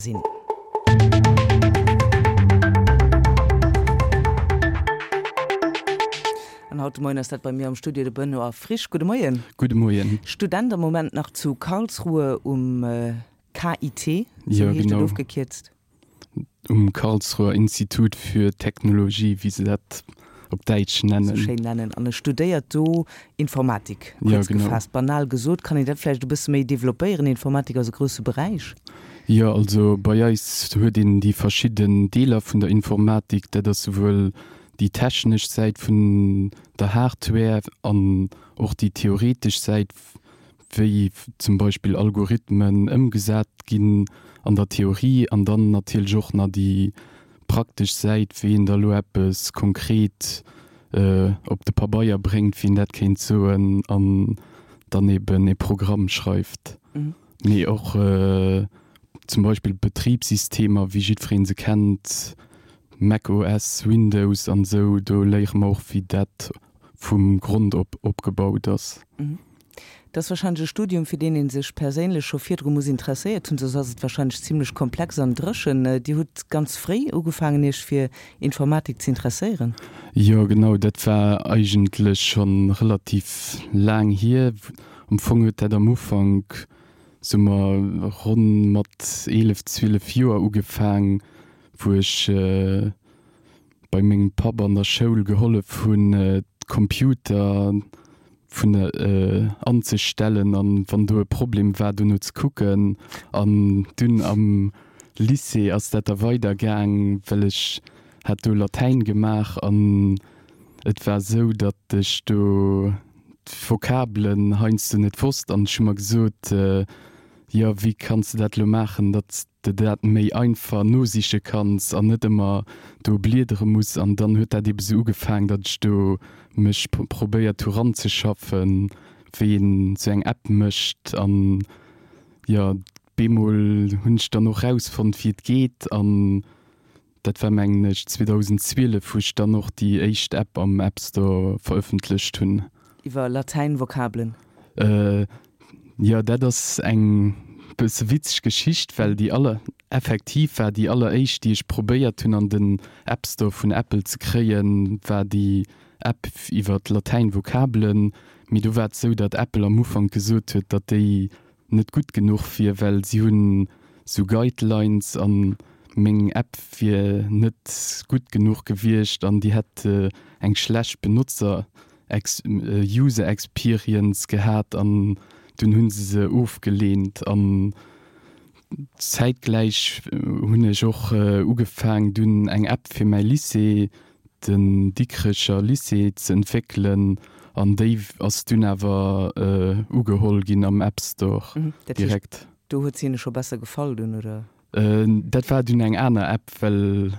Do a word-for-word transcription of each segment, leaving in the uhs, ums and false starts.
Sinn. An haut de Moien ass dat bei mir am Studio de Benoît Frisch. Gudde Moien. Gudde Moien. Student am Moment nach zu Karlsruhe um KIT, esou Ja, heescht et genau. ofgekierzt. Um Karlsruher Institut für Technologie, wéi se dat op Däitsch nennen. Sou schéin nennen. An e studéiert do Informatik, Ja, kuerz genau. gefaasst. Banal gesot, kann een dat vläicht e bësse méi developpéieren? Informatik ass e grousse Beräich. Jo, also bei eis huet een déi verschidden Deeler vun der Informatik. Dat ass souwuel déi technesch Säit vun der Hardware an och déi theoretesch Säit, wéi zum Beispill Algorithmen ëmgesat ginn an der Theorie an dann natierlech och nach déi praktesch Säit, wéi een da lo eppes konkret op de Pabeier bréngt, wéi een dat kéint soen, an dann eben e Programm schreift. Mee och zum Beispill Betribssystemer, wéi jiddweree se kennt, Mac OS, Windows an esou, do léiere mer och, wéi dat vum Grond op opgebaut ass. Dat ass wahrscheinlech e Studium, fir deen ee sech perséinlech scho virdru muss interesséiert hunn, soss ass et wahrscheinlech zimlech komplex an dréchen. Dir hutt ganz fréi ugefaangen, Iech fir Informatik ze interesséieren? Jo, genau, dat war eigentlech scho relativ laang hier. Am Fong huet dat am Ufank, soe mer, ronn mat eelef, zwielef Joer ugefaang, wou ech bei mengem Papp an der Schoul gehollef hunn, d'Computer vun der anzestellen an wann do e Problem war, dono ze kucken. An dunn am Lycée ass dat da weider gaang, well ech hat do Latäin gemaach an et war esou, datt ech do d'Vokabelen heiansdo net wosst an ech hu mer gesot, jo wéi kanns de dat elo maachen, datt de dat méi einfach nosiche kanns an net ëmmer do bliedere muss. An dann huet dat ebe sou ugefaang, datt ech do mech probéiert hu ranzeschaffen, wéi een sou eng App mécht. An jo, bemol hunn ech dann och rausfonnt, wéi et geet. An dat war mengen ech zweedausendzwielef, wou ech dann och déi éischt App am App Store verëffentlecht hunn. Iwwer Latäin-Vokabelen? Jo, dat ass eng bësse witzeg Geschicht, well déi aller, effektiv war déi alleréischt, déi ech probéiert hunn an den App Store vun Apple ze kréien, war déi App iwwer d'Latäin-Vokabelen. Mee do war et esou, datt Apple am Ufank gesot huet, datt déi net gutt genuch wier, well si hunn esou Guidelines an meng App wier net gutt genuch gewiescht an déi hätt eng schlecht Benotzer User Experience gehat an dunn hunn se se ofgeleent an zäitgläich hunn ech och ugefaang dunn eng App fir mäi Lycée, den Dikrecher Lycée, ze entwéckelen an déi ass dunn awer ugeholl ginn am App Store direkt. Do huet se hinne scho besser gefall dunn, oder? Dat war dunn eng aner App, well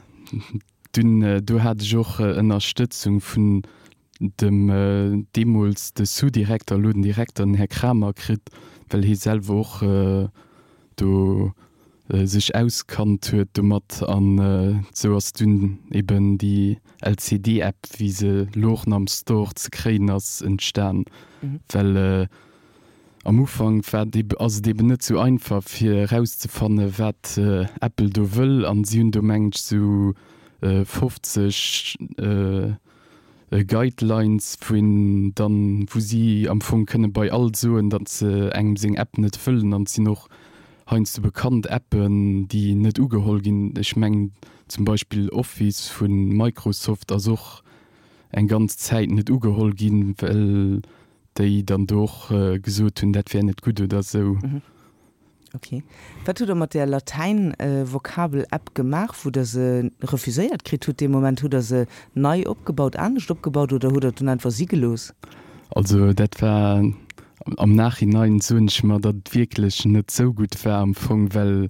dunn do hat ech och Ënnerstëtzung vun dem deemools de Sous-Direkter, elo den Direkter, den Här Kramer kritt, well hie selwer och do sech auskannt huet domat. An esou ass dunn eben déi L C D-App, wéi se elo och nach am Store ze kréien ass, entstan. Well am Ufank war et ass et eben net esou einfach fir erauszefanne wat Apple do wëll an si hunn do mengen ech esou fofzeg Guidelines, wou een dann, wou si am Fong kënne bei all soen, datt se engem seng App net wëllen. An et sinn och heiansdo bekannt Appen, déi net ugeholl ginn. Ech mengen zum Beispill Office vu Microsoft ass och eng ganz Zäit net ugeholl ginn, well déi dann do och gesot hunn, dat wär net gutt oder esou. Ok. Wat hutt Der mat där Latäin-Vokabel-App gemaach, wou Der se refuséiert kritt hutt dee Moment? Hutt Der se nei opgebaut, anescht opgebaut oder hutt Der et dunn einfach si gelooss? Also dat war, am Nachhinein soen ech mer, datt et wierklech net sou gutt war am Fong, well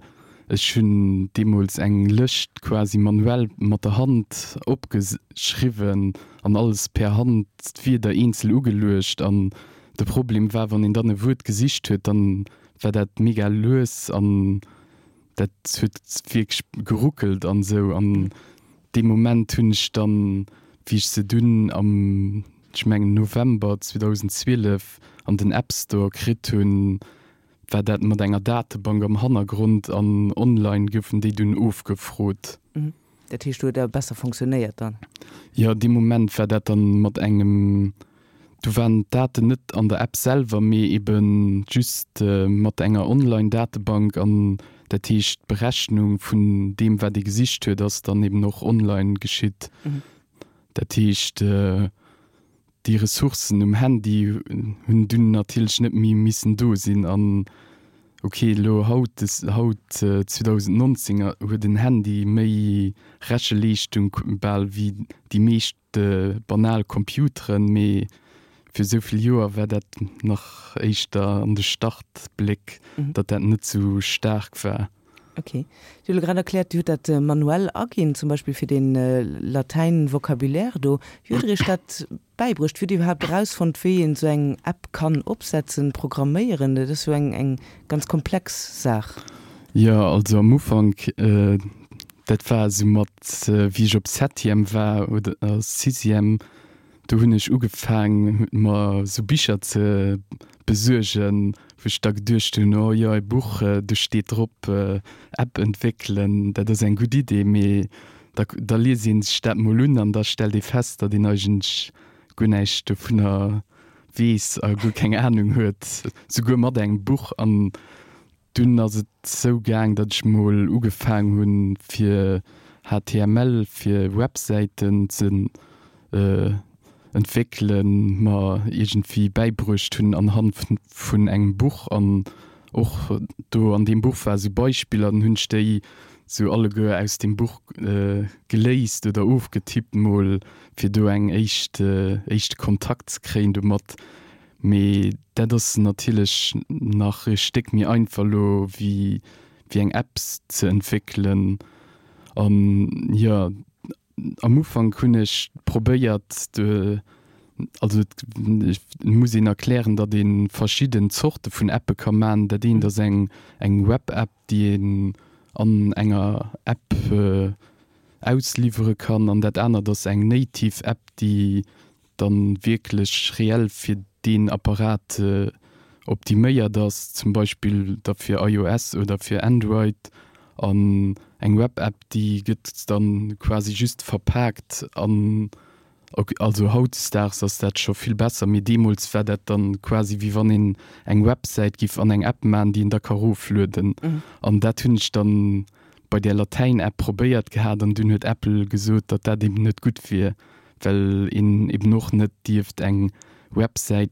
ech hunn deemools eng Lëscht quasi manuell mat der Hand opgeschriwwen an alles per Hand d'Wierder eenzel ugeluecht an de Problem war, wann een dann e Wuert gesicht huet, dann war dat mega lues an dat huet wierklech geruckelt an esou. An dee Moment hunn ech dann, wéi ech se dunn am, ech mengen November zweedausendzwielef an den App Store kritt hunn, war dat mat enger Datebank am Hannergrond an online goufen déi dunn ofgefrot. Mhm. Dat heescht, do huet dat besser funktionéiert dann? Jo, dee Moment war dat dann mat engem, do waren d'Daten net an der App selwer, mee eben just mat enger Online-Datebank an dat heescht d'Berechnung vun deem wat ee gesicht huet ass dann eben och online geschitt. Dat heescht déi Ressourcen um Handy hunn dunn natierlech net méi missen do sinn an ok elo haut haut zweedausendnonzéng huet en Handy méi Recheleeschtung bal wéi déi meescht banal Computeren, mee fir esou vill Joer war dat nach éischter an de Startbléck, datt dat net esou staark war. Ok. Dir hutt elo grad erkläert, Dir hutt dat manuell aginn, zum Beispill fir dee Latäin-Vocabulaire do. Wéi hutt Der Iech dat bäibruecht? Wéi hutt Dir iwwerhaapt erausfonnt, wéi een esou eng App kann opsetzen, programméieren? Dat ass jo eng eng ganz komplex Saach. Jo, also am Ufank, dat war esou mat, wéi ech op Septième war oder Sixième, Do hunn ech ugefaang mer sou Bicher ze besuergen, wou ech da geduecht hunn, oh jo, e Buch, do steet drop App entwéckelen, dat ass eng gutt Idee. Mee da da liest ee sech dat mol un an da stellt ee fest, datt een eigentlech guer näischt dovunner weess a guer keng Anung huet, souguer mat engem Buch. An Dunn ass et sou gaang, datt ech mol ugefaang hunn fir H T M L fir Websäiten ze entwéckelen, mer iergendwéi bäibruecht hunn anhand vun engem Buch an och do an deem Buch war sou Beispiller, dann hunn ech déi sou alleguer aus deem Buch geléist oder ofgetippt mol fir do eng éischt éischte Kontakt ze kréien domat. Mee dat ass natierlech nach e Stéck méi einfach elo wéi wéi eng App ze entwéckelen. An jo, am Ufank hunn ech probéiert, also et muss een erklären, datt ee verschidden Zorte vun Appe ka man. Dat eent ass eng eng Web-App, déi een an enger App ausliwwere kann, an dat anert ass eng native App, déi dann wierklech reell fir deen Apparat optiméiert ass, zum Beispill da fir iOS oder fir Android. An eng Web-App, déi gëtt dann quasi just verpaakt an, also hautdesdaags ass dat scho vill besser, mee deemools war dat dann quasi wéi wann een eng Websäit giff an eng App maachen, déi een da ka roflueden. An dat hunn ech dann bei där Latäin-App probéiert gehat an dunn huet Apple gesot, datt dat eben net gutt wier. well een eben och net dierft eng Websäit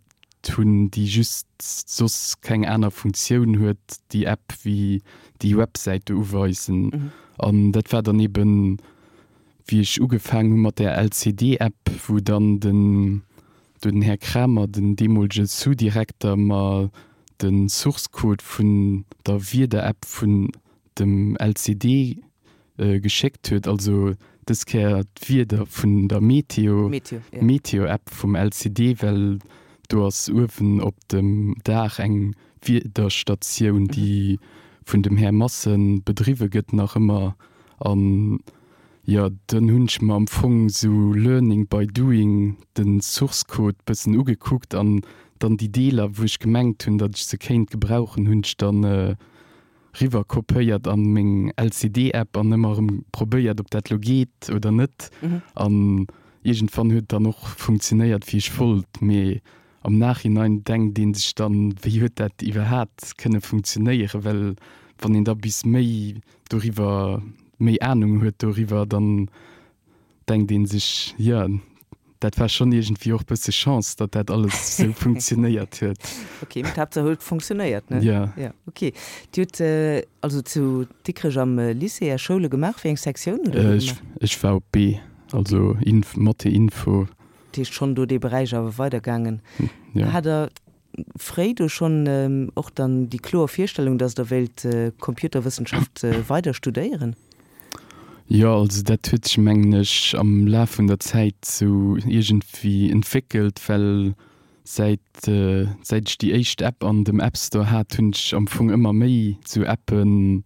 hunn, déi just soss keng aner Funktioun huet, déi App, wéi déi Websäit do uweisen. An dat war dann eben, wéi ech ugefaangen hu mat där L C D-App, wou dann den do den Här Kramer, den deemolege Sous-Direkter, mer de Source-Code vun der Wieder-App vun dem L C D geschéckt huet, also dës Kéier d'Wieder vun der Meteo, Meteo-App vum L C D, well do ass uewen op dem Daach eng Wiederstatioun, déi vun dem Här Massen bedriwwe gëtt nach ëmmer. An jo, dann hunn ech mer am Fong sou learning by doing de Source Code bëssen ugekuckt an dann déi Deeler, wou ech gemengt hunn, datt ech se kéint gebrauchen, hunn ech dann riwwer kopéiert an meng L C D App an ëmmer erëm probéiert op dat lo geet oder net an iergendwann huet dann och funktionéiert wéi ech wollt, mee am Nachhinein denkt een sech dann wéi huet dat iwwerhaat kënne funktionéieren, well wann een da bis méi doriwwer méi Ahnung huet doriwwer dann denkt een sech jo dat war schonn iergendwéi och bësse Chance, datt dat alles esou funktionéiert huet. Ok, mee d'Haaptsaach huet funktionéiert, ne? Jo. Jo, ok. Dir hutt also zu Dikrech am Lycée Är Schoule gemaach. Wéi eng Sektioun hutt Der do gemaach? Ech war op B, also Inf, Mathé Info. Dat heescht schonn do dee Beräich awer weidergaangen. Jo. Hat Der fréi do schonn och dann déi kloer Virstellung, datt Der wéilt Computerwëssenschaft weider studéieren? Jo, also dat huet sech mengen ech am Laf vun der Zäit sou iergendwéi entwéckelt, well säit säit ech déi éischt App an dem App Store hat, hunn ech am Fong ëmmer méi sou Appen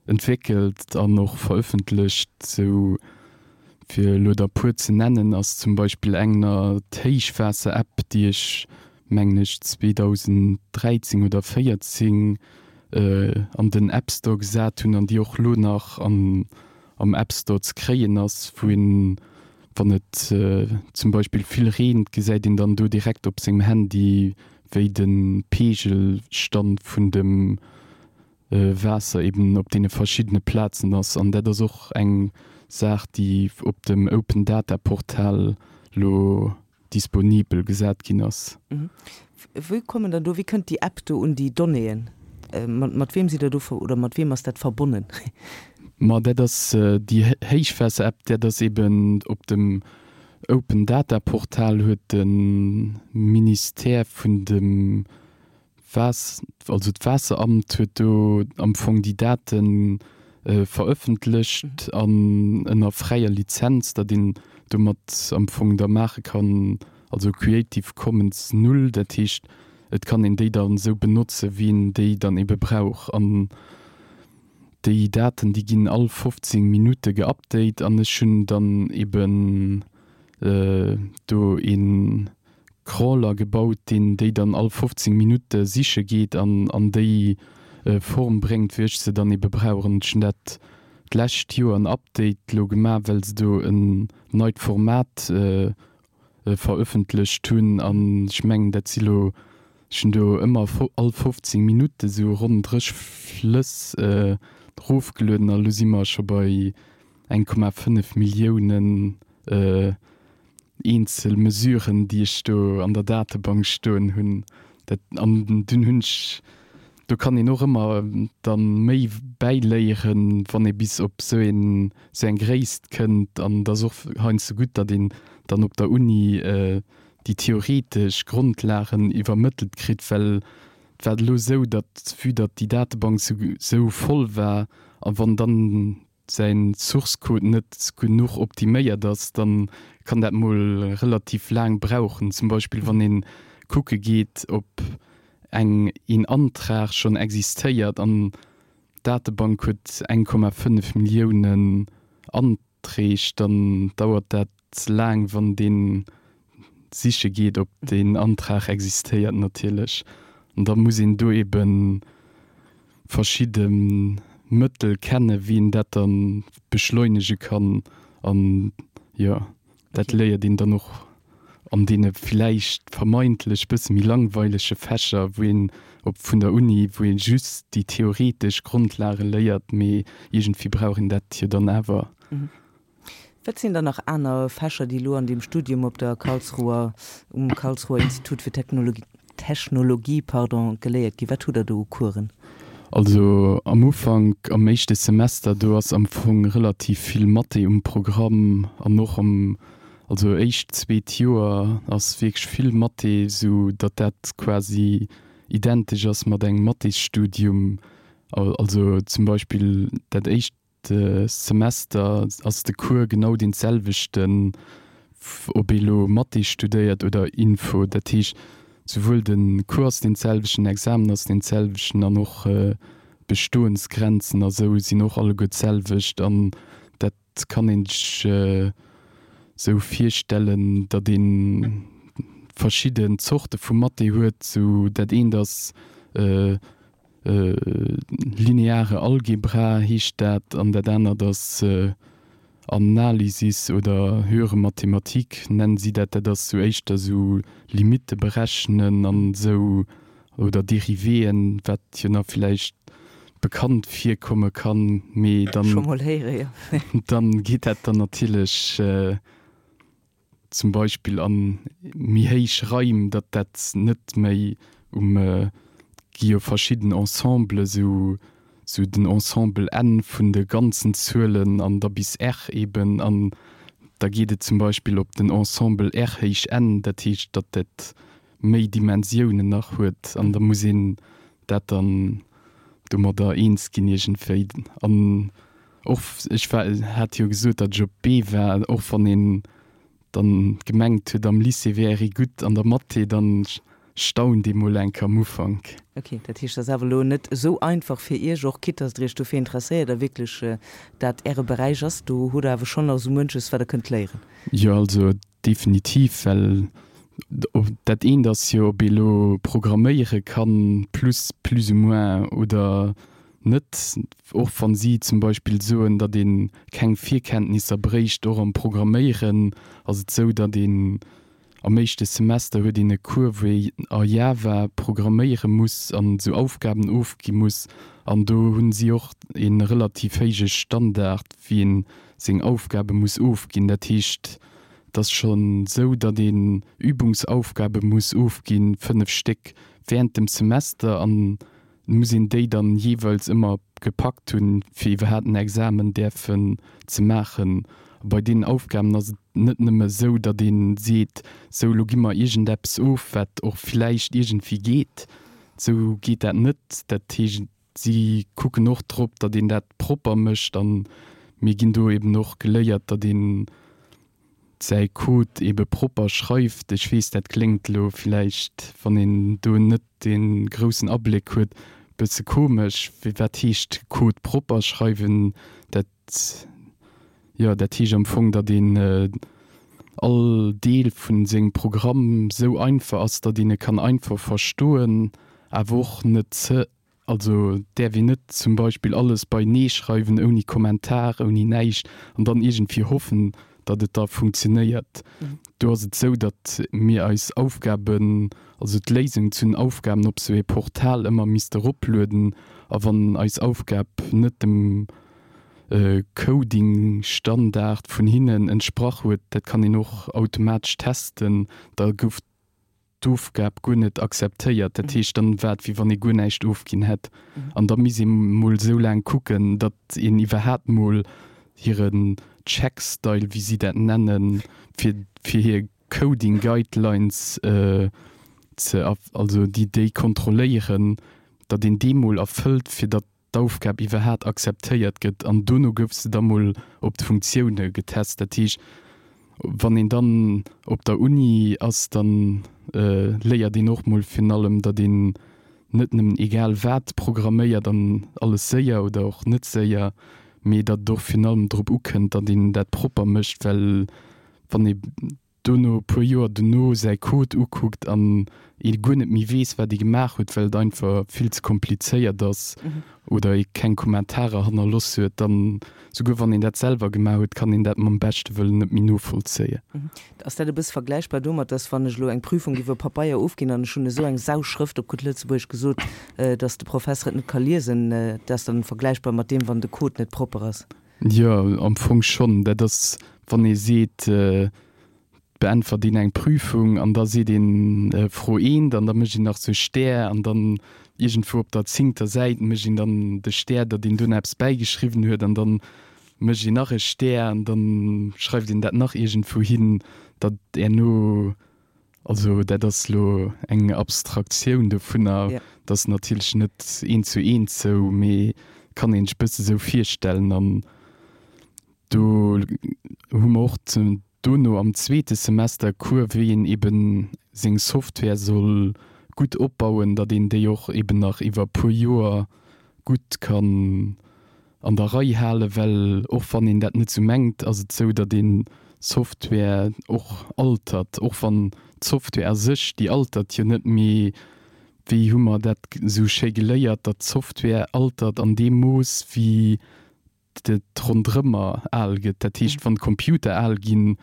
entwéckelt an och verëffentlecht. Sou fir elo der puer ze nennen, ass zum Beispill eng d'Héichwaasser-App, déi ech mengen ech zweedausenddräizéng oder véierzéng an den App Store gesat hunn an déi och lo nach an am App Store ze kréien ass, wou een, wann et zum Beispill vill reent, gesäit een dann do direkt op sengem Handy, wéi de Peegelstand vun dem Waasser eben op deene verschiddene Plazen ass. An dat ass och eng Saach, déi op dem Open Data Portal lo disponibel gesat ginn ass. Wéi kommen dann do, wéi kënnt déi App do un déi Donnéeën? Mat weem sidd Der do oder mat weem ass dat verbonnen? Ma dat ass déi Héichwaasser-App, dat ass eben op dem Open Data Portal huet de Ministère vun dem Waas, also d'Waasseramt huet do am Fong déi Date verëffentlecht an ënner fräier Lizenz, datt een domat am Fong da maache kann, also Creative Commons null, dat heescht et kann een déi dann esou benotze wéi een déi dann ebe brauch. An déi Daten déi ginn all fofzéng Minutte geupdate an ech hunn dann eben do ee Crawler gebaut, deen déi dann all fofzéng Minutte siche geet an an déi Form bréngt, wéi ech se dann ebe brauch. An ech hunn dat d'lescht Joer en Update lo gemaach, well se do en neit Format verëffentlecht hunn. An ech mengen, dat si lo, ech hunn do ëmmer all fofzéng Minutte sou ronn dréch Flëss erofgelueden a lo si mer scho bei eng Komma fënnef Milliounen eenzel Mesuren, déi ech do an der Datebank stoen hunn. Dat, an dunn hunn ech, do kann een och ëmmer dann méi bäiléieren, wann ee bis op sou een, sou eng Gréisst kënnt. An et ass och heiansdo gutt, datt een dann op der Uni déi theoretesch Grondlagen iwwermëttelt kritt, well et war elo sou, datt vue datt déi Datebank sou sou voll war a wann dann säin Source Code net genuch optiméiert ass, dann kann dat mol relativ laang brauchen. Zum Beispill wann een kucke geet op eng een Antrag schonn existéiert an d'Datebank huet eng Komma fënnef Milliounen Anträg, dann dauert dat laang wann deen siche geet ob deen Antrag existéiert natierlech. An da muss een do eben verschidde Mëttel kennen, wéi een dat dann beschleunege kann. An jo, dat léiert een dann och an deene villäicht vermeintlech bësse méi langweilege Fächer, wou een op vun der Uni, wou ee just déi theoretesch Grondlage léiert, mee iergendwéi brauch een dat jo dann awer. Wat sinn dann nach aner Fächer, déi elo an deem Studium op der Karlsruher, um Karlsruher Institut für Technologie, Technologie, pardon, geléiert ginn? Wat hutt Der do u Coursen? Also am Ufank, am éischte Semester, do ass am Fong relativ vill Mathé um Programm an och am, also éischt, zweet Joer ass wierklech vill Mathé, sou datt dat quasi identesch ass mat engem Mathésstudium. Also zum Beispill dat éischt Semester ass de Cours genau deen selwechten, ob ee lo Mathé studéiert oder Info. Dat heescht, souwuel de Cours ass deen selwechten, den Examen ass deen selwechten an och d'Bestoensgrenzen a sou sinn och alleguer d'selwecht. An dat kann een sech sou virstellen, datt ee verschidden Zorte vu Mathé huet. Sou dat eent ass Lineare Algebra heescht dat, an dat anert ass Analysis oder höhere Mathematik nennen si dat. Dat ass sou éischter sou Limitte berechnen an esou oder Dérivéeën, wat jo nach villäicht bekannt virkomme kann, mee dann Scho mol héiere, jo. dann geet dat dann natierlech zum Beispill an méi héich Raim, datt dat net méi um, et gi jo verschidden Ensemblen, sou sou den Ensemble N vun de ganzen Zuelen an da bis R eben, an da geet et zum Beispill op den Ensemble R héich N, dat heescht, datt dat méi Dimensiounen nach huet an da muss een dat dann domadder eens ginn iergendwéi. An och, ech war, hat jo gesot, datt ech op B war, och wann een dann gemengt huet am Lycée wär ee gutt an der Mathé, dann staunt ee mol eng Kéier am Ufank. Ok, dat heescht, et ass awer elo net esou einfach fir Iech, och quitte dass Der Iech dofir interesséiert a wierklech dat Äre Beräich ass, do hutt Der awer schonn nach esou munches, wat Der kënnt léieren. Jo, also definitiv, well Dat eent ass jo, ob ee lo programméiere kann, plus plus ou moins, oder net. Och wann si zum Beispill soen, datt ee keng Virkenntnisser bréicht, och am Programméieren ass et sou, datt een am éischte Semester huet een e Cours, wou ee a Java programméiere muss an esou Aufgaben ofgi muss. An do hunn si och ee relativ héije Standard, wéi ee seng Aufgabe muss ofginn. Dat heescht, et ass schonn esou, datt een Übungsaufgabe muss ofginn, fënnef Stéck während dem Semester, an et muss een déi dann jeeweils ëmmer gepackt hunn, fir iwwerhaapt en Examen däerfen ze maachen. A bei deenen Aufgaben ass et net nëmme esou, datt ee seet, sou elo gi mer iergendeppes of, wat och villäicht iergendwéi geet. Esou geet dat net. Dat heescht, si kucken och drop, datt een dat propper mécht. A mir ginn do eben och geléiert, datt een säi Code ebe propper schreift. Ech weess, dat kléngt elo villäicht, wann een do net dee groussen Abléck huet, bësse komesch. Wat heescht Code propper schreiwen? Dat, jo, dat heescht am Fong, datt een all Deel vu sengem Programm sou einfach ass, datt een e kann einfach verstoen, awer och net ze Also et däerf een net zum Beispill alles beienee schreiwen, ouni Kommentar, ouni näischt, an dann iergendwéi hoffen, datt et da funktionéiert. Do ass et esou, datt mir eis Aufgaben, also d'Léisung zu den Aufgaben op esou ee Portal ëmmer misste eroplueden. A wann eis Aufgab net dem Coding-Standard vun hinnen entsprach huet, dat kann een och automatesch testen, da gouf d'Ofgab guer net akzeptéiert. Dat heescht, dann war et wéi wann ee guer näischt ofginn hätt. An da misst ee mol esou laang kucken, datt een iwwerhaapt mol hiren Checkstyle, wéi si dat nennen, fir fir hir Coding Guidelines ze, also déi déi kontrolléieren, datt een dee mol erfëllt, fir datt d'Aufgab iwwerhaat akzeptéiert gëtt an dono gouf se da mol op d'Funktioune getest. Dat heescht, wann een dann op der Uni ass, dann léiert een och mol virun allem, datt een net nëmmen egal wat programméiert an alles séier oder och net séier, mee datt et och virun allem drop ukënnt, datt een dat propper mécht, well wann ee dono, e puer Joer dono, säi Code ukuckt an ee guer net méi weess, wat ee gemaach huet, well et einfach vill ze komplizéiert ass oder ee keng Kommentarer hannerloss huet, dann, souguer wann een dat selwer gemaach huet, kann een dat mam beschte Wëllen net méi novollzéien. Ass dat e bësse vergläichbar domat, dass wann ech elo eng Prüfung iwwer Pabeier ofginn an ech hunn esou eng Sauschrëft, op gutt Lëtzebuergesch gesot, dass de Professer et net ka liesen, dat ass dann vergläichbar mat deem, wann de Code net propper ass? Jo, am Fong schonn. Dat ass, wann ee seet, beäntwert een eng Prüfung an da seet een Fro eent an da mécht een nach sou Stär an dann iergendwou op der zéngter Säit mécht een dann de Stär, datt een dunn eppes bäigeschriwwen huet an dann mécht een nach e Stär an dann schreift een dat nach iergendwou hin, datt herno, also dat ass lo eng Abstraktioun dovunner, dat ass natierlech net eent zu eent sou, mee kann een sech bësse sou virstellen an do hu mer och dono am zweete Semester Cours, wéi een eben seng Software soll gutt opbauen, datt een déi och eben nach iwwer e puer Joer gutt kann an der Rei halen, well och wann een dat net sou mengt, ass et sou, datt ee Software och altert, och wann d'Software a sech, déi altert jo net, mee wéi hu mer dat sou schéi geléiert, datt d'Software altert an deem Mooss wéi et ronderëmmer al gëtt. Dat heescht, wann d'Computer al ginn,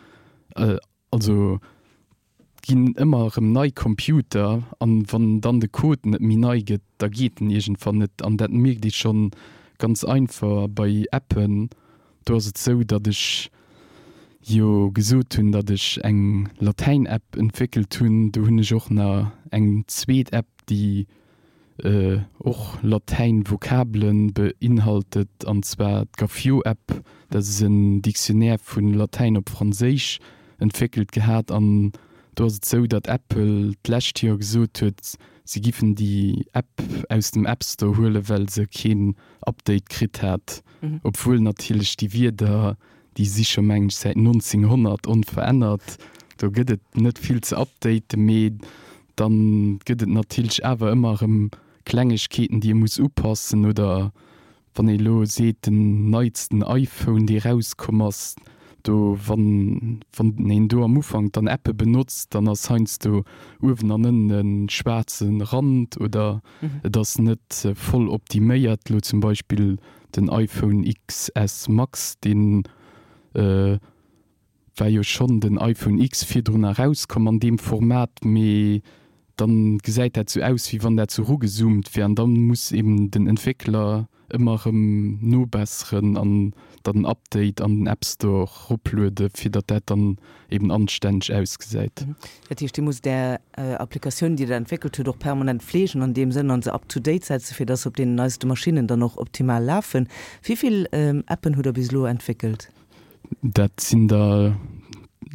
also et ginn ëmmer erëm nei Computer, an wann dann de Code net méi nei gëtt, da geet en iergendwann net. An dat mierkt ee schonn ganz einfach bei Appen. Do ass et esou, datt ech jo gesot hunn, datt ech eng Latäin-App entwéckelt hunn. Do hunn ech och nach eng zweet App, déi och Latäin-Vokabelen beinhaltet, an zwar d'Gaffiot-App. Dat ass en Dictionnaire vu Latäin op Franséisch entwéckelt gehat. An do ass et esou, datt Apple d'lescht Joer gesot huet, si giffen déi App aus dem App Store huelen, well se keen Update kritt hat. Obwuel natierlech déi Wierder, déi si scho mengen ech säit nonzénghonnert onverännert, do gëtt et net vill ze updaten, mee Dann gëtt et natierlech awer ëmmer erëm Klengegkeeten, déi ee muss upassen. Oder wann ee elo seet, den neitsten iPhone, dee erauskomm ass, Do wann wann een do am Ufank dann Appe benotzt, dann ass heiansdo uewen an ënnen e schwaarze Rand oder et ass net voll optiméiert. Lo zum Beispill den iPhone XS Max, deen war jo schonn den iPhone X virdrun erauskomm an deem Format, mee dann gesäit dat sou aus, wéi wann dat sou rugezoomt wär an dann muss eben den Entwéckler ëmmer erëm nobesseren an dann en Update an den App Store ropluede fir datt dat dann eben anstänneg ausgesäit. Dat heescht, Dir musst Är Applikatioun, déi Der entwéckelt hutt, och permanent fleegen an deem Sënn an se up to date setzen, fir datt se op deenen neiste Maschinnen dann och optimal lafen. Wéi vill Appen hutt Der bis elo entwéckelt? Dat sinn der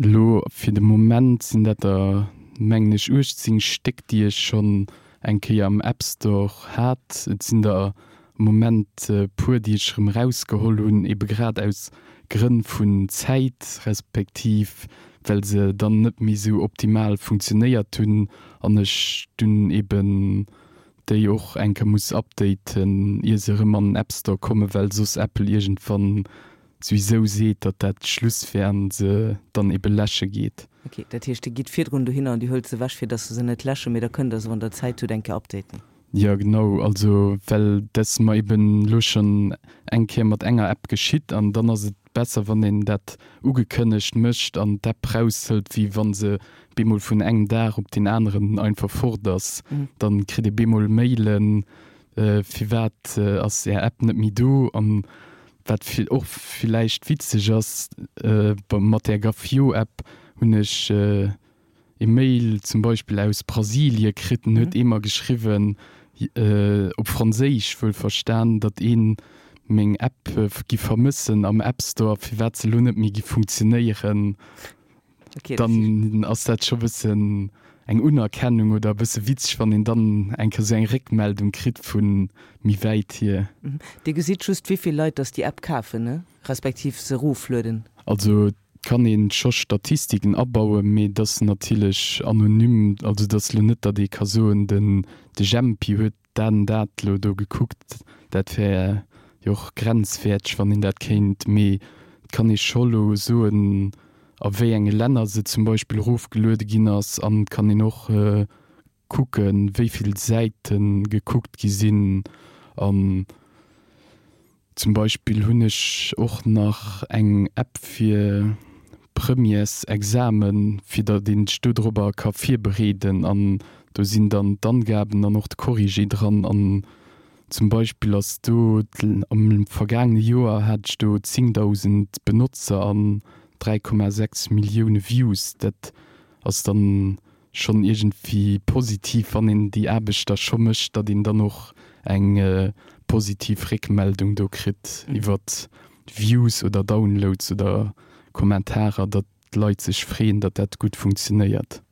elo fir de Moment sinn dat der mengen ech uechtzéng Stéck, déi ech schonn eng Kéier am App Store hat. Et sinn der am Moment e puer, déi ech erëm erausgeholl hunn, ebe grad aus Grënn vun Zäit, respektiv well se dann net méi esou optimal funktionéiert hunn an ech dunn eben déi och eng Kéier muss updaten, ier se erëm an den App Store kommen, well soss Apple iergendwann souwisou seet, datt dat Schluss wär an se dann ebe läsche geet. Ok, dat heescht Dir gitt virdrun dohinner an Dir huelt se ewech, fir datt se se net läschen, mee da kënnt Der se, wann Der Zäit hutt, eng Kéier updaten. Jo, genau, also well dat ass mer eben elo schonn eng Kéier mat enger App geschitt an dann ass et besser, wann een dat ugekënnegt mécht an d'App raushëlt, wéi wa se bemol vun engem Dag op deen aneren einfach fort ass. Dann kritt ee bemol Mailen, Firwat ass Är App net méi do? An wat och villäicht witzeg ass, mat där Gafio-App hunn ech e Mail zum Beispill aus Brasilie kritt, den huet ee mer geschriwwen, op Franséisch wuelverstan, datt ee meng App gi vermëssen am App Store, firwat se elo net méi gi funktionéieren. Dann ass dat scho bëssen eng Unerkennung oder e bësse witzeg, wann een dann eng Kéier esou eng Réckmeldung kritt vu méi wäit hier. Dir gesitt just, wéi vill Leit datt déi App kafen, ne? Respektiv se eroflueden. Also et kann ee scho Statistiken abauen, mee et ass natierlech anonym. Also et ass elo net, datt ee ka soen, den de Jempi huet dat an dat elo do gekuckt. Dat wär jo och grenzwäerteg, wann een dat kéint. Mee et kann ee scho elo soen, a wéi enge Länner se zum Beispill erofgeluede ginn ass an et kann een och kucken, wéi vill Säite gekuckt gi sinn. An zum Beispill hunn ech och nach eng App fir Premièresexamen, fir datt een sech dodrobber ka virbereeden an do sinn dann d'Angaben an och de Corrigé dran. An zum Beispill ass do am vergaangene Joer hat ech do zéngdausend Benotzer an dräi Komma sechs Millioune Views. Dat ass dann schonn iergendwéi positiv, wann een déi Aarbecht da scho mécht, datt een dann och eng positiv Réckmeldung do kritt iwwer Views oder Downloads oder Kommentarer, datt d'Leit sech freeën, datt dat gutt funktionéiert.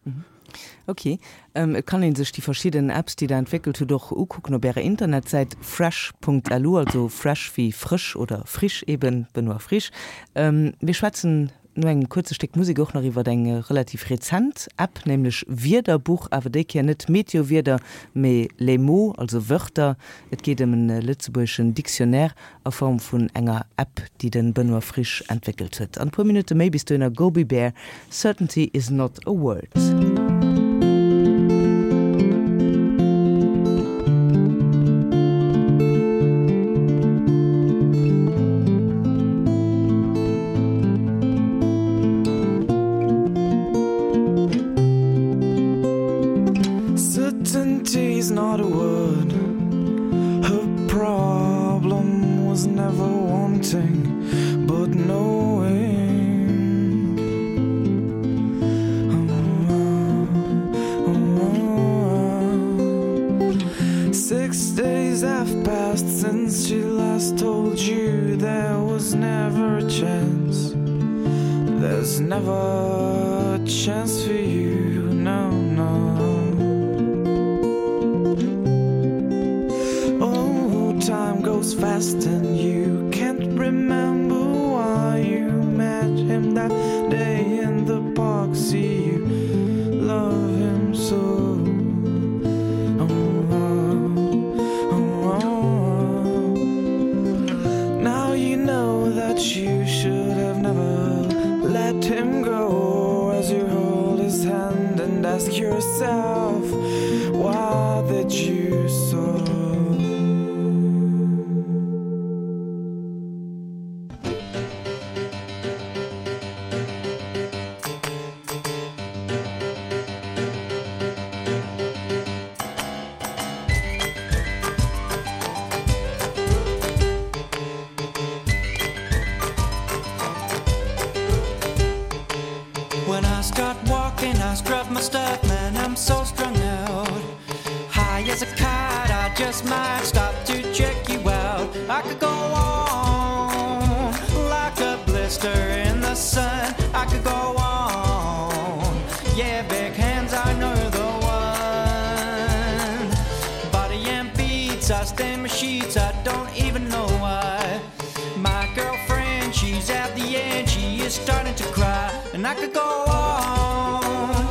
Ok. Et kann ee sech déi verschidden Apps, déi Der entwéckelt hutt, och ukucken op Ärer Internetsäit fresh Punkt lu, also fresh wéi frësch oder frisch eben, Benoît Frisch. Mir schwätzen no engem kuerze Stéck Musek och nach iwwer eng relativ rezent App, nämlech Wierderbuch, awer déi Kéier net Meteowieder, mee Les mots, also Wörter. Et geet ëm en lëtzebuergeschen Dictionnaire a Form vun enger App, déi de Benoît Frisch entwéckelt huet. An e puer Minutte méi bis dohinner, Gobi Bear, Certainty is not a word. Certainty's not a word. Her problem was never wanting, but knowing. Six days have passed since she last told you there was never a chance. There's never a chance for you, no, no. Oh, time goes fast and you can't remember why you met him that day in the park. See you love him so. Oh, oh, oh. Now you know that you should have never him go as you hold his hand and ask yourself why did you so When I start walking, I strut my stuff, man, I'm so strung out. High as a kite, I just might stop to check you out. I could go on like a blister in the sun. I could go on. Yeah, big hands, I know the one. Body and beats, I stand my sheets, I don't even know why. My girlfriend, she's at the end, she is starting to cry. And I could go on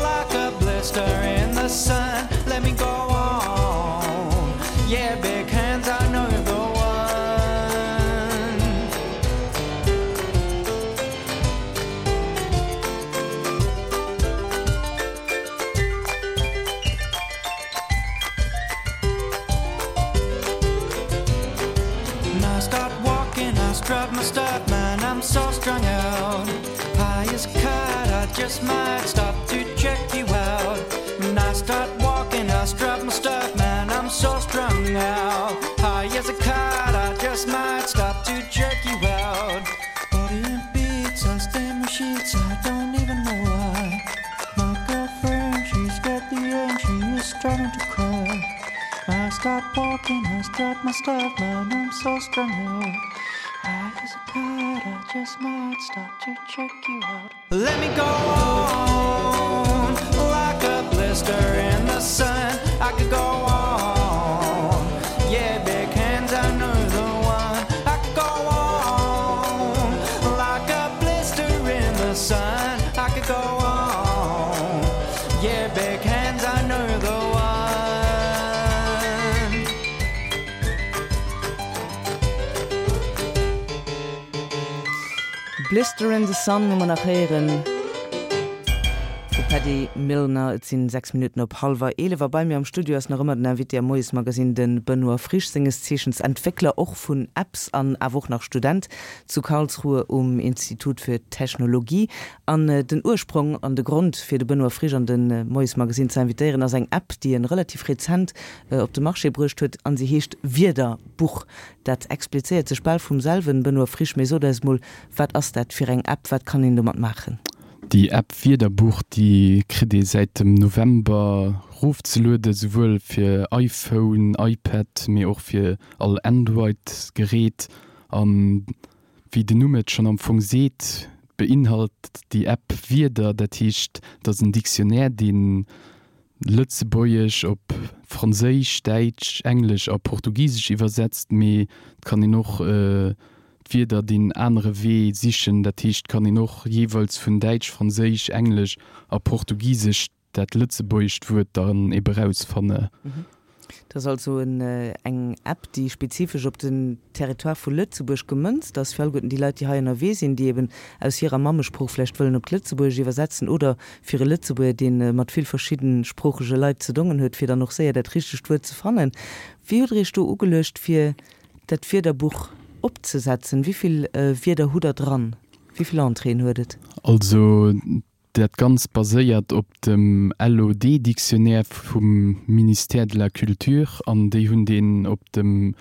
like a blister in the sun. Let me go on. Yeah, big hands, I know you're the one. And I start walking, I strut my stuff, man, I'm so strung out. High as a kite, I just might stop to check you out. And I start walking, I strut my stuff, man, I'm so strung out. High as a kite, I just might stop to check you out. Body and beats, I stand my sheets, I don't even know why. My girlfriend, she's got the end, she is starting to cry. I start walking, I strut my stuff, man, I'm so strung out. High as a kite, I just might stop to check you out. Let me go on like a blister in the sun. I could go on. Yeah, big hands, I know the one. I could go on like a blister in the sun. I could go on. Yeah, big hands, I know the one. Blister in the Sun hu mer nach héieren vu Paddy Milner. Et sinn sechs Minutten op hallwer eelef a bei mir am Studio ass nach ëmmer den Invité am Moiesmagazin, de Benoît Frisch, senges Zeechens Entwéckler och vun Apps an awer och nach Student zu Karlsruhe um Institut für Technologie. An den Ursprong an de Grond fir de Benoît Frisch an de Moiesmagazin ze invitéieren ass eng App, déi en relativ rezent op de Marché bruecht huet an se heescht Wierderbuch. Dat explizéiert sech bal vum selwen, Benoît Frisch, mee sot eis mol, wat ass dat fir eng App, wat kann een domat maachen? Déi App Wierderbuch, déi kritt ee säit dem November rofzelueden, souwuel fir iPhone, iPad, mee och fir all Android-Gerät. An wéi den Numm et schonn am Fong seet, beinhalt déi App Wierder, dat heescht, dat ass en Dictionnaire, deen Lëtzebuergesch op Franséisch, Däitsch, Englesch a Portugisesch iwwersetzt, mee et kann een och d'Wierder deen anere Wee sichen, dat heescht, et kann een och jeeweils vun Däitsch, Franséisch, Englesch a Portugisesch dat lëtzebuergescht Wuert dann ebe erausfanne. Dat ass also eng App, déi spezifesch op den Territoire vu Lëtzebuerg gemënzt ass, fir alleguerten déi Leit, déi hei ënnerwee sinn, déi eben aus hirer Mammesprooch vläicht wëllen op d'Lëtzebuergesch iwwersetzen oder fir e Lëtzebuerger, dee mat vill verschiddensproochege Leit ze dongen huet, fir dann och séier dat richtegt Wuert ze fannen. Wéi hutt Der Iech do ugeluecht, fir dat Wierderbuch opzesetzen? Wéi vill Wierder hutt Der dran? Wéi vill Entréeën huet et? Also dat Ganzt baséiert op dem LOD-Dictionnaire vum Ministère de la Culture an déi hunn deen op dem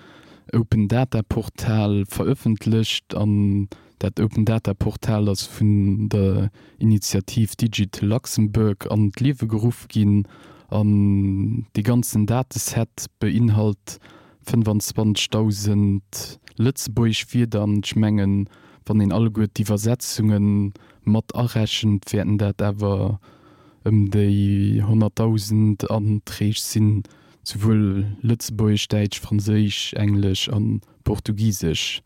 Open Data Portal verëffentlecht an dat Open Data Portal ass vun der Initiativ Digital Luxembourg an d'Liewe geruff ginn an dee ganzen Dateset beinhalt fënnefanzwanzegdausend lëtzebuergesch Wierder an ech mengen, wann een alleguer d'Iwwersetzunge mat arechent, wäerten dat awer ëm déi honnertdausend Anträg sinn, souwuel lëtzebuergesch, däitsch, franséisch, englesch a portugisesch.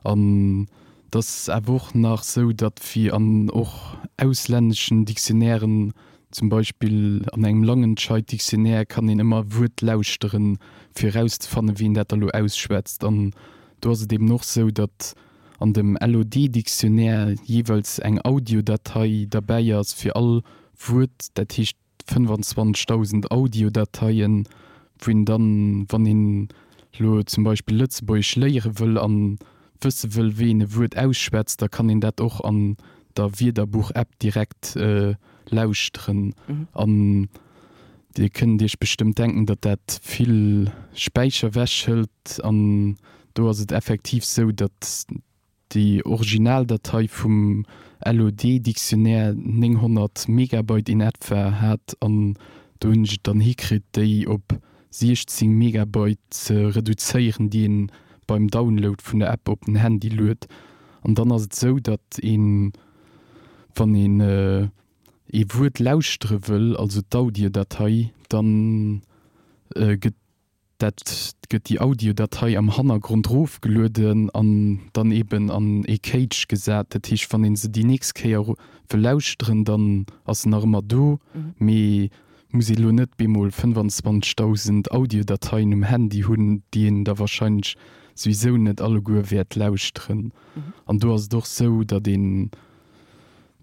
An et ass awer och nach sou, datt wéi an och auslänneschen Dictionnairen, zum Beispill an engem Langenscheidt-Dictionnaire, kann een ëmmer e Wuert lauschteren, fir erauszefannen, wéi een dat da lo ausschwätzt. An do ass et eben och sou, datt an dem LOD-Dictionnaire jeeweils eng Audiodatei derbäi ass fir all Wuert, dat heescht fënnefanzwanzegdausend Audiodateien, wou een dann, wann een elo zum Beispill Lëtzebuergesch léiere wëll an wësse wëll, wéi een e Wuert ausschwätzt, da kann een dat och an der Wierderbuch-App direkt lauschteren. An Dir kënnt Iech bestëmmt denken, datt dat vill Späicher wechhëlt. An do ass et effektiv sou, datt déi Originaldatei vum LOD-Dictionnaire nénghonnert Megabyte in etwa hat an do hunn ech et dann hikritt, déi op siechzéng Megabyte ze reduzéieren, déi een beim Download vun der App op den Handy luet. An dann ass et sou, datt een, wann een ee Wuert lauschtere wëll, also d'Audiodatei, dann gëtt Dat gëtt déi Audiodatei am Hannergrond rofgelueden an dann eben an ee Cage gesat. Dat heescht, wann ee se déi nächst Kéier wëll lauschteren, dann ass se nach ëmmer do, mee muss ee lo net bemol fënnwanzwanzegdausend Audiodateien um Handy hunn, déi een da warscheinlech souwisou net alleguer wäert lauschteren. An do ass et och sou, datt een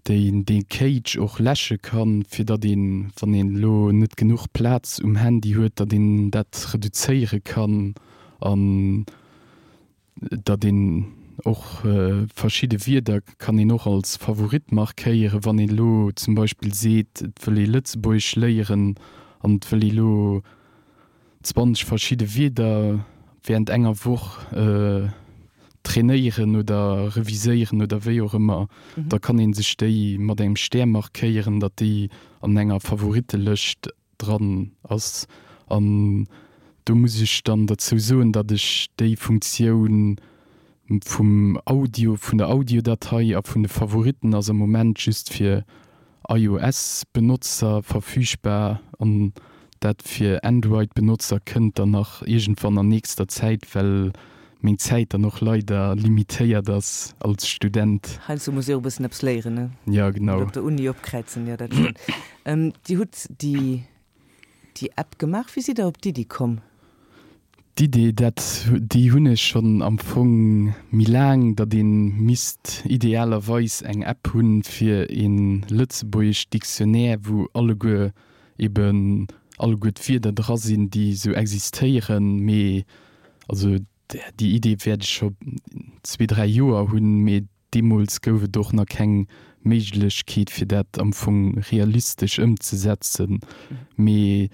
déi dee Cage och läsche kann, fir datt een, wann een elo net genuch Plaz um Handy huet, datt een dat reduzéiere kann an datt een och verschidde Wierder kann een och als Favorit markéieren, wann een elo zum Beispill seet, et wëll ee Lëtzebuergesch léieren an et wëll ee elo zwanzeg verschidde Wierder während enger Woch trainéieren oder reviséieren oder wéi och ëmmer, da kann ee sech déi mat engem Stär markéieren, datt déi an enger Favorittelëscht dran ass. An do muss ech dann derzou soen, datt ech déi Funktioun vum Audio, vun der Audiodatei a vun de Favoritten ass am Moment just fir iOS-Benotzer verfügbar an dat fir Android-Benotzer kënnt dann nach iergendwann an nächster Zäit, well meng Zäit dann och leider limitéiert ass als Student. Heiansdo muss ee och e bëssen eppes léieren, ne? Ja, genau. Net op der Uni opkräizen, jo, dat schonn. Dir hutt déi déi App gemaach. Wéi sidd Der op d'Iddi komm? D'Idee, dat, déi hunn ech schonn am Fong méi laang, datt ee misst idealerweis eng App hunn fir ee lëtzebuergesch Dictionnaire, wou alleguer eben alleguer d'Wierder dra sinn, déi esou existéieren. Mee also déi Idee wäert ech scho zwee, dräi Joer hunn, mee Deemools gouf et och nach keng Méiglechkeet, fir dat am Fong realistesch ëmzesetzen. Mee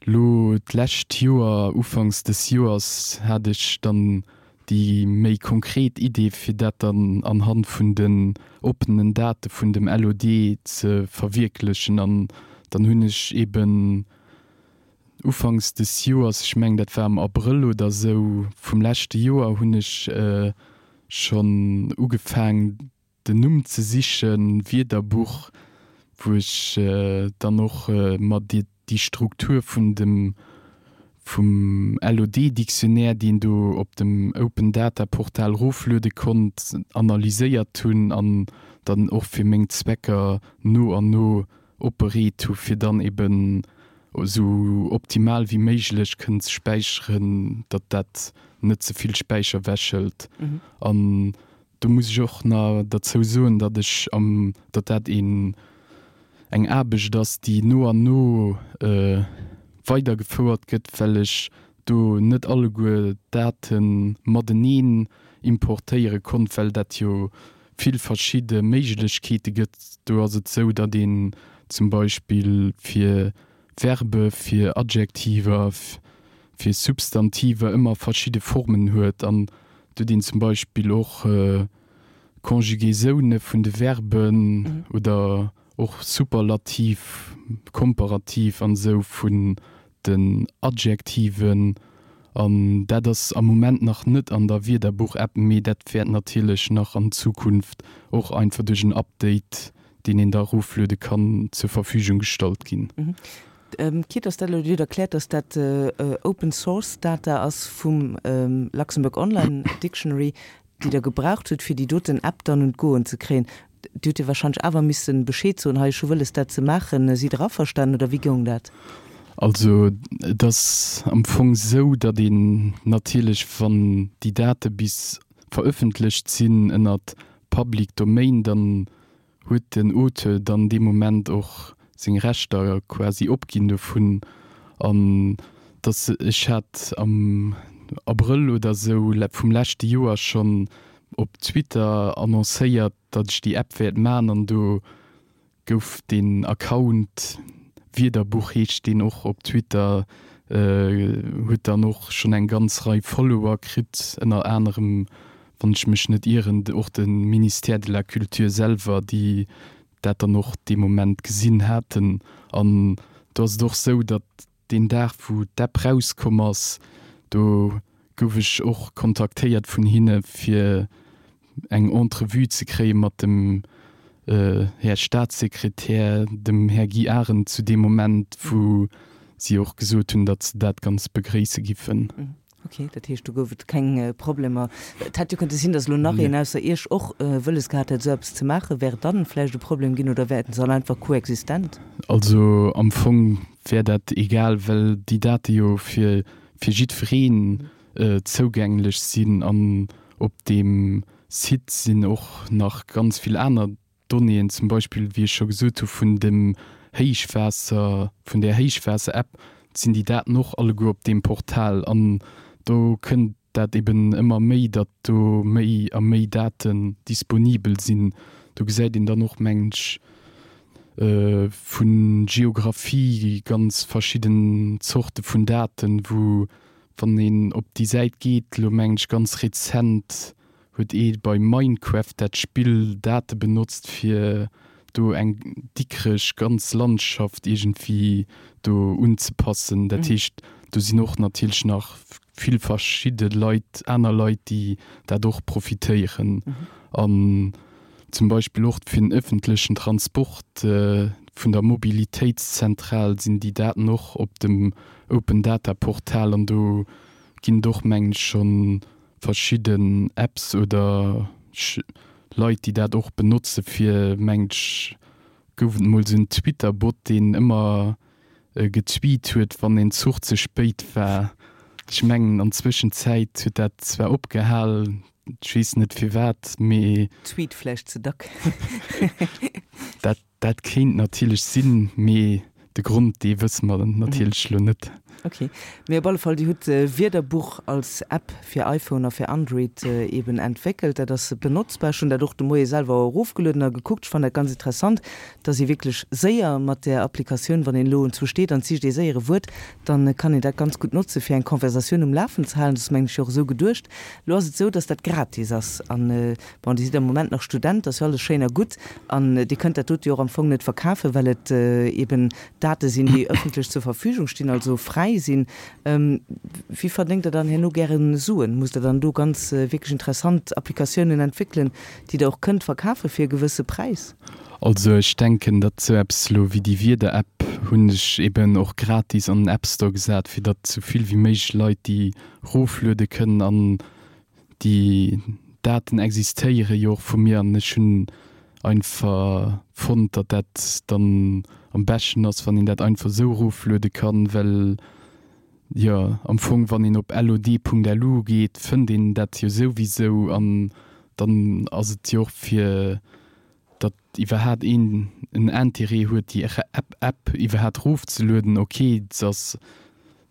lo d'lescht Joer, ufanks des Joers, hat ech dann déi méi konkret Idee, fir dat dann anhand vun den oppenen Date vun dem LOD ze verwierklechen. An dann hunn ech eeben ufanks des Joers, ech mengen dat war am Abrëll oder esou vum leschte Joer, hunn ech schonn ugefaang den Numm ze sichen, Wierderbuch, wou ech dann och mer déi Struktur vun dem vum LOD-Dictionnaire, déi een do op dem Open Data Portal rofluede konnt, analyséiert hunn an dann och fir meng Zwecker no an no opbereet hu fir dann eben esou optimal wéi méiglech kënnen ze späicheren, datt dat net ze vill Späicher wechhëlt. An do muss ech och nach derzou soen, datt ech am, datt dat een, eng Aarbecht ass, déi no an no weidergefouert gëtt, well ech do net alleguer d'Date mateneen importéiere konnt, well dat jo vill verschidde Méiglechkeete gëtt. Do ass et esou, datt een zum Beispill fir Verbe, fir Adjektiver, fir Substantiver ëmmer verschidde Formen huet an et huet een zum Beispill och Conjugaisone vun de Verben oder och Superlativ, Komparativ an esou vun den Adjektiven. An dat ass am Moment nach net an der Wierderbuch-App, mee dat wäert natierlech nach an Zukunft och einfach duerch en Update, deen een da erofluede kann, zur Verfügung gestallt ginn. Quitte dass dat elo, Dir hutt erkläert, dass dat Open Source Data ass vum Luxembourg Online Dictionary, déi Der gebraucht hutt, fir déi doten App dann un d'Goen ze kréien. Dir hutt jo warscheinlech awer misse Bescheed soen, hei ech hu wëlles dat ze maachen. Sidd Der averstanen oder wéi goung dat? Also et ass am Fong esou, datt een natierlech, wann déi Date bis verëffentlecht sinn ënnert Public Domain, dann huet den Auteur dann dee Moment och seng Rechter quasi opginn dovun. An dass ech hat am Abrëll oder sou vum leschte Joer schonn op Twitter annoncéiert, datt ech déi App wäert man an do gouf deen Account, Wierderbuch heescht deen och op Twitter, huet dann och schonn eng ganz Rei Follower kritt, ënner anerem, wann ech mech net ieren, och de Ministère de la Culture selwer, déi dat dann och dee Moment gesinn haten. An do ass et och sou, datt deen Dag, wou d'App rauskomm ass, do gouf ech och kontaktéiert vun hinne fir eng Entrevue ze kréie mat dem Här Staatssekretär, dem Här Guy Arendt zu deem Moment, wou si och gesot hunn, datt se dat ganz begréisse giffen. Ok, dat heescht, do gouf et keng Problemer. Et hätt jo kënnte sinn, datt elo nach een ausser Iech och wëlles gehat hätt, esou eppes ze maachen. Wär et dann vläicht e Problem ginn oder wäerten se all einfach koexistent? Also am Fong wär dat egal, well déi Date jo fir fir jiddwereen zougänglech sinn an op deem Site sinn och nach ganz vill aner Donnéeën, zum Beispill, wéi ech scho gesot hu vun dem Héichwaasser, vun där Héichwaasser-App, sinn déi Daten och alleguer op deem Portal an do kënnt dat eben ëmmer méi, datt do méi a méi Daten disponibel sinn. Do gesäit een dann och, mengen ech, vu Geographie ganz verschidden Zorte vun Daten, wou, wann een op déi Säit geet, elo mengen ech ganz rezent huet ee bei Minecraft, dat Spill, Date benotzt fir do eng Dikrech ganz Landschaft iergendwéi do unzepassen. Dat heescht, do sinn och natierlech nach vill verschidde Leit, aner Leit, déi dat och profitéieren. An zum Beispill och fir den ëffentlechen Transport vun der Mobilitéitszentral sinn déi Daten och op dem Open Data Portal an do ginn et och, mengen ech, scho verschidden Apps oder Leit, déi dat och benotze fir, mengen ech, gouf et emol esou en Twitter-Bot, deen ëmmer getweet huet, wann een Zuch ze spéit war. Ech mengen an Zwëschenzäit huet dat zwar opgehal, ech weess net firwat, mee. Tweet vläicht ze dack. Dat, dat kéint natierlech sinn, mee de Grond, dee wësse mer natierlech elo net. Ok, mee op alle Fall, Dir hutt Wierderbuch als App fir iPhone a fir Android eben entwéckelt. Dat ass benotzbar. Ech hunn dat och de Moie selwer erofgelueden a gekuckt. Ech fannen dat ganz interessant, dass ee wierklech séier mat där Applikatioun, wann een elo enzwou steet an et sicht ee séier e Wuert, dann kann een dat ganz gutt notze fir eng Conversatioun um Lafen ze halen. Dat ass, mengen ech, jo och esou geduecht. Elo ass et esou, dass dat gratis ass an, bon, Dir sidd am Moment nach Student, ass jo alles schéin a gutt an Dir kënnt dat dote jo och am Fong net verkafen, well et eben Date sinn, déi ëffentlech zur Verfügung stinn, also fräi sinn. Wéi verdéngt Der dann herno gären Suen? Musst Der dann do ganz wierklech interessant Applikatiounen entwéckelen, déi Der och kënnt verkafe fir e gewësse Präis? Also ech denken, datt esou eppes elo wéi déi Wieder-App hunn ech eben och gratis an den App Store gesat, fir datt esou vill wéi méiglech Leit déi rofluede kënnen an déi Daten existéiere jo och vu mir an ech hunn einfach fonnt, datt dat dann am beschten ass, wann een dat einfach esou erofluede kann, well jo am Fong, wann een op lod.lu geet, fënnt een dat jo souwisou an dann ass et jo och fir datt iwwerhaat een en Intérêt huet déi App iwwerhaat rofzelueden, ok, se ass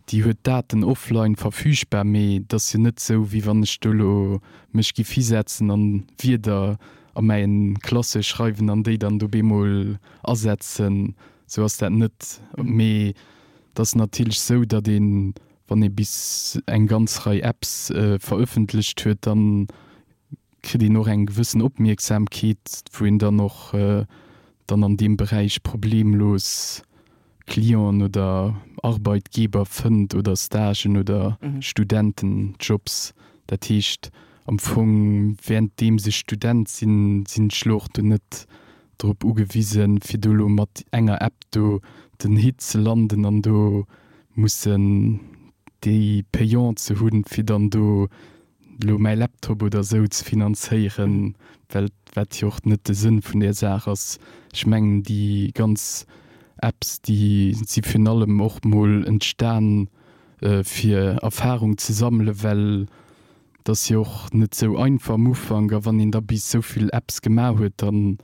déi huet d'Daten offline verfügbar, mee et ass jo net esou, wéi wann ech do elo mech giff hisetzen an Wierder a mäin Classeur schreiwen an déi dann do bemol asetzen. Esou ass dat net. Mee et ass natierlech esou, datt een, wann ee bis eng ganz Rei Apps verëffentlecht huet, dann kritt een och eng gewëssen Opmierksamkeet, wou een dann och dann an deem Beräich problemlos Clienten oder Arbeitgeber fënnt oder Stagen oder Studentenjobs. Dat heescht am Fong, währenddeems ech Student sinn, sinn ech elo och do net drop ugewisen, fir do elo mat enger App do den Hit ze landen an do mussen déi Payant ze hunn, fir dann do elo mäi Laptop oder esou ze finanzéieren, well wat jo och net de Sënn vun där Saach ass. Ech mengen déi ganz Apps, déi si virun allem och mol entstan fir Erfahrung ze sammelen, well Et ass jo och net sou einfach am Ufank a wann een da bis sou vill Apps gemaach huet, dann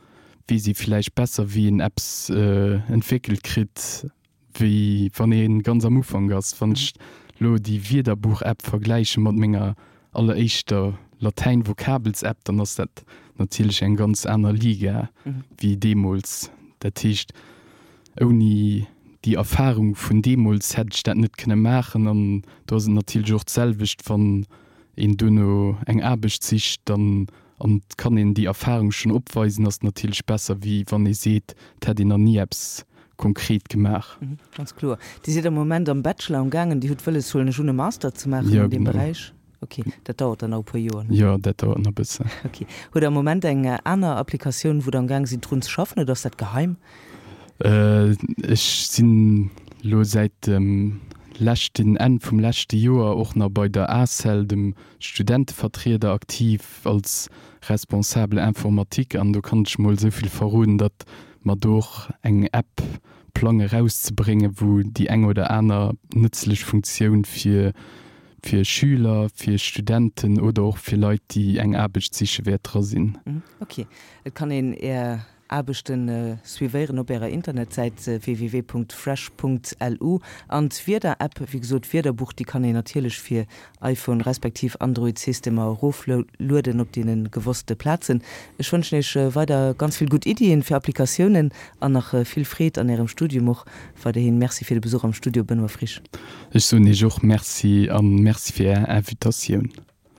weess ee villäicht besser wéi een Apps entwéckelt kritt, wéi wann ee ganz am Ufank ass. Wann ech lo déi Wierderbuch-App vergläiche mat menger alleréischter Latäin-Vokabels-App, dann ass dat natierlech eng ganz aner Liga wéi deemools. Dat heescht, ouni déi Erfarung vun deemools hätt ech dat net kënne maachen. An do ass et natierlech och d'selwecht, wann een duerno eng Aarbecht sicht, dann an et kann een déi Erfarung schonn opweisen, ass natierlech besser, wéi wann ee seet, et hätt een nach ni eppes konkret gemaach. Ganz kloer. Dir sidd am Moment am Bachelor am gaangen, Dir hutt wëlles, huelen ech un, e Master ze maachen an deem Beräich? Ok, dat dauert dann nach e puer Joer, ne? Jo, dat dauert nach e bëssen. Ok. Hutt Der am Moment eng aner Applikatioun, wou Der am gaang sidd drun ze schaffen, oder ass dat geheim? Ech sinn elo säit dem leschten, Enn vum leschte Joer och nach bei der ACEL, dem Studentevertrieder, aktiv als Responsable informatique an do kann ech mol esou vill verroden, datt mer do och eng App plange rauszebréngen, wou déi eng oder aner nëtzlech Funktioun fir fir Schüler, fir Studenten oder och fir Leit, déi eng Aarbecht siche wäert dra sinn. Ok. Et kann een Är Aarbechten suivéieren op Ärer Internetsäit www.fresh.lu an d'Wieder-App, wéi gesot d'Wiederbuch, déi kann een natierlech fir iPhone respektiv Android-Systemer eroflueden op deene gewosste Plazen. Ech wënschen Iech weider ganz vill gutt Iddien fir Applikatiounen an nach vill Freed an Ärem Studium och weiderhin. Merci fir de Besuch am Studio, Benoît Frisch. Ech soen Iech och Merci a Merci fir Är Invitatioun.